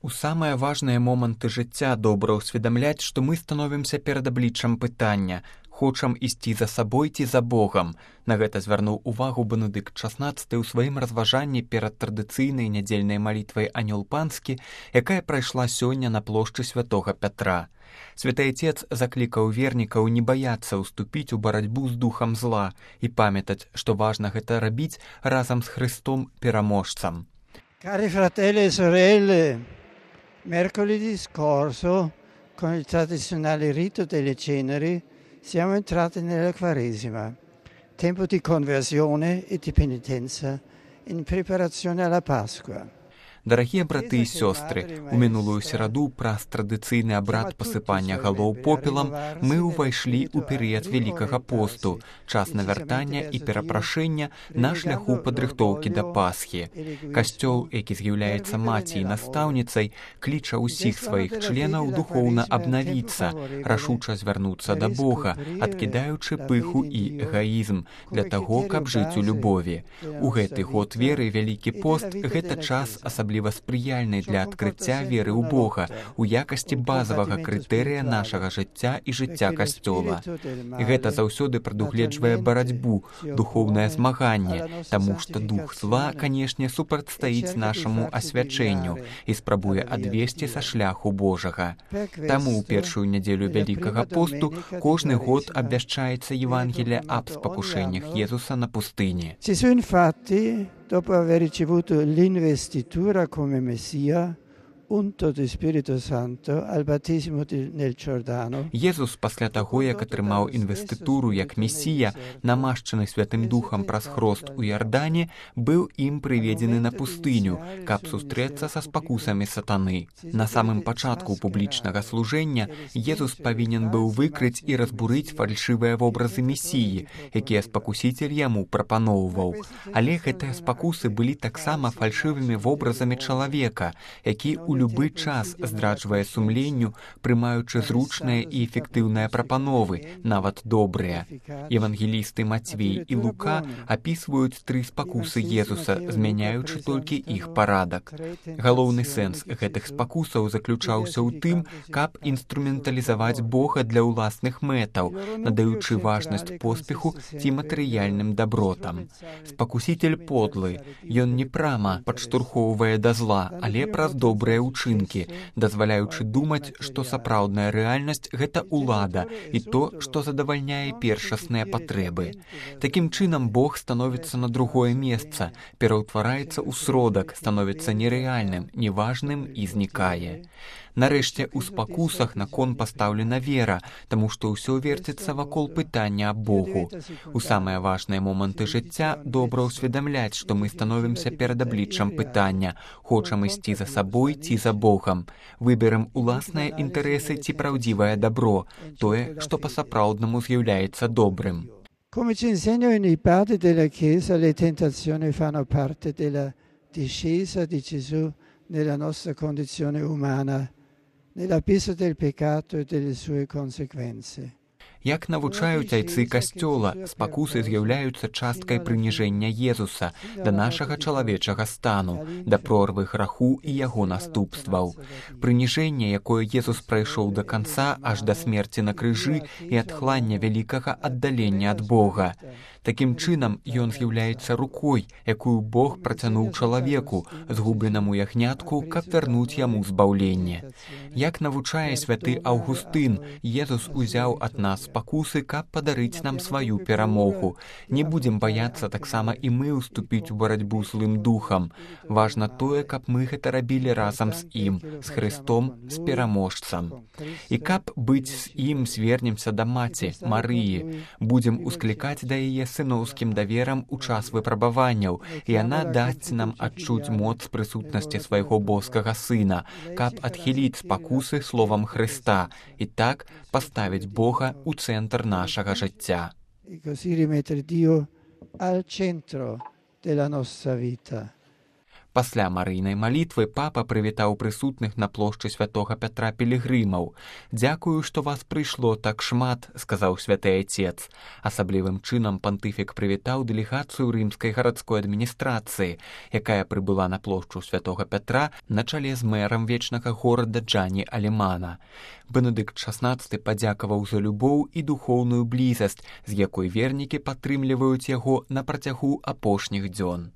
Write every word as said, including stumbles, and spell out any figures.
У самыя важныя моманты жыцця добра ўсведамляць, што мы становімся перад абліччам пытання: хочам ісці за сабой ці за Богам. На гэта звярнуў увагу Бенедыкт шаснаццаты ў сваім разважанні перад традыцыйнай нядзельнай малітвай «Анёл панскі», якая прайшла сёння на плошчы святога Пятра. Святы Айцец заклікаў вернікаў не баяцца ўступіць у барацьбу з духам зла і памятаць, што важна гэта рабіць разам з Христом пераможцам. Cari fratelli e sorelle, mercoledì scorso, con il tradizionale rito delle ceneri, siamo entrati nella Quaresima, tempo di conversione e di penitenza in preparazione alla Pasqua. Дарагія браты і сёстры, у мінулую сераду праз традыцыйны абрад пасыпання галоў попелам мы ўвайшлі ў перыяд Вялікага посту, час навяртання і перапрашэння на шляху падрыхтоўкі да Пасхі. Касцёл, які з'яўляецца маці і настаўніцай, кліча ўсіх сваіх членаў духоўна абнавіцца, рашуча звярнуцца да Бога, адкідаючы пыху і эгаізм, для таго, каб жыць у любові. У гэты год веры Вялікі пост – гэта час асаблівы асабліва спрыяльнай для адкрыцця веры ў Бога у якасці базавага крытэрыя нашага жыцця і жыцця Касцёла. І гэта заўсёды прадугледжвае барацьбу, духоўнае змаганне, таму што дух зла, канешне, супрацьстаіць нашаму асвячэнню і спрабуе адвесці са шляху Божага. Таму ў першую нядзелю Вялікага посту кожны год абвяшчаецца Евангелие аб спакушэннях Езуса на пустыні. Dopo aver ricevuto l'investitura come Messia, unto di Spirito Santo al battesimo nel Giordano. Езус пасля таго, як атрымаў інвестытуру як месія, намашчаны Святым Духам праз хрост у Ярдане, быў ім прыведзены на пустыню, каб сустрэцца са спакусамі сатаны. На самым пачатку публічнага служэння Езус павінен быў выкрыць і разбурыць фальшывыя вобразы месіі, якія спакусіцель яму прапаноўваў. Але гэтыя спакусы былі таксама фальшывымі вобразамі чалавека, які у любы час здраджвае сумленню, прымаючы зручныя і эфектыўныя прапановы, нават добрыя. Евангелісты Мацвей і Лука апісваюць тры спакусы Езуса, змяняючы толькі іх парадак. Галоўны сэнс гэтых спакусаў заключаўся ў тым, каб інструменталізаваць Бога для ўласных мэтаў, надаючы важнасць поспеху ці матэрыяльным дабротам. Спакусіцель подлы, ён не прама падштурхоўвае да зла, але праз добрыя учынкі, дазваляючы думаць, што сапраўдная рэальнасць – гэта ўлада і то, што задавальняе першасныя патрэбы. Такім чынам Бог становіцца на другое месца, пераўтвараецца ў сродак, становіцца нерэальным, неважным і знікае. Нарэшце, у спакусах на кон пастаўлена вера, таму што ўсё верціцца вакол пытання аб Богу. У самыя важныя моманты жыцця добра ўсведамляць, што мы становімся перад абліччам пытання: хочам ісці за сабой ці за Богам. Выберам уласныя інтарэсы ці праўдзівае дабро, тое, што па-сапраўднаму з'яўляецца добрым. Come ci insegnano i padri della Chiesa, le tentazioni fanno parte della discesa di Gesù nella nostra condizione umana, nell'abisso del peccato e delle sue conseguenze. Як навучаюць айцы Касцёла, спакусы з'яўляюцца часткай прыніжэння Езуса да нашага чалавечага стану, да прорвы граху і яго наступстваў. Прыніжэнне, якое Езус прайшоў да канца аж да смерці на крыжы і адхлання вялікага аддалення ад Бога. Такім чынам, ён з'яўляецца рукой, якую Бог працянуў чалавеку, згубленаму ягнятку, каб вярнуць яму збаўленне. Як навучае святы Аўгустын, Езус узяў ад нас спакусы, каб падарыць нам сваю перамогу. Не будзем баяцца таксама і мы ўступіць у барацьбу злым духам. Важна тое, каб мы гэта рабілі разам з ім, з Христом, з пераможцам. І каб быць з ім, звернемся да маці, Марыі, будзем усклікаць да яе сыноўскім даверам у час выпрабаванняў, і яна дасць нам адчуць моц прысутнасці свайго боскага сына, каб адхіліць спакусы словам Христа і так паставіць Бога у цэнтр нашага жыцця. І così rimettere Dio al centro della nostra vita. Пасля марыйнай малітвы папа прывітаў прысутных на плошчы святога Пятра пілігрымаў. «Дзякую, што вас прыйшло так шмат», — сказаў святы айцец. Асаблівым чынам пантыфік прывітаў дэлегацыю рымскай гарадской адміністрацыі, якая прыбыла на плошчу святога Пятра на чале з мэрам вечнага горада Джані Алемана. Бенедыкт шаснаццаты падзякаваў за любоў і духоўную блізасць, з якой вернікі падтрымліваюць яго на працягу апошніх дзён.